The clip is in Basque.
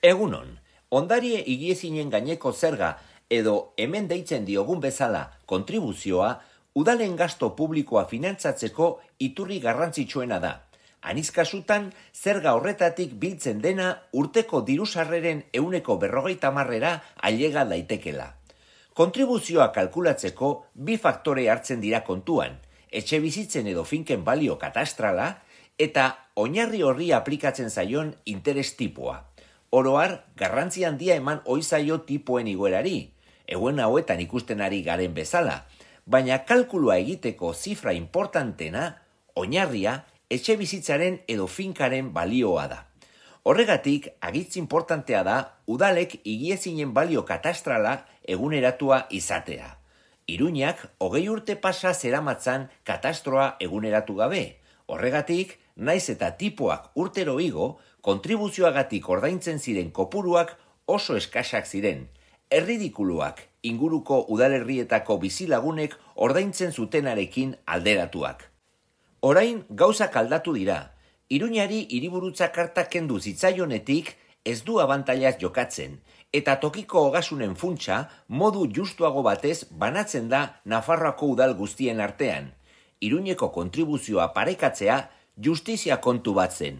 Egunon, ondarie higiezinen gaineko zerga edo hemen deitzen diogun bezala kontribuzioa udalen gasto publikoa finantzatzeko iturri garrantzitsuena da. Aniz kasutan, zerga horretatik biltzen dena urteko dirusarreren 50%ra ailega daitekela. Kontribuzioa kalkulatzeko bi faktore hartzen dira kontuan, etxe bizitzen edo finken balio katastrala eta oinarri horri aplikatzen zaion interes tipua. Oroar, garrantzi handia eman oizaio tipoen igoerari, egun hauetan ikusten ari garen bezala, baina kalkulua egiteko zifra importantena, oinarria, etxe bizitzaren edo finkaren balioa da. Horregatik, agitz importantea da, udalek higiezinen balio katastrala eguneratua izatea. Iruñak, 20 urte pasa zeramatzan katastroa eguneratu gabe. Horregatik, naiz eta tipoak urtero igo, kontribuzioagatik ordaintzen ziren kopuruak oso eskasak ziren. Erridikuluak inguruko udalerrietako bizilagunek ordaintzen zutenarekin alderatuak. Orain gauzak aldatu dira. Iruñari hiriburutza karta kendu zitzaionetik ez du abantailaz jokatzen, eta tokiko ogasunen funtsa modu justuago batez banatzen da Nafarroako udal guztien artean. Iruñeko kontribuzioa parekatzea justizia kontu bat zen.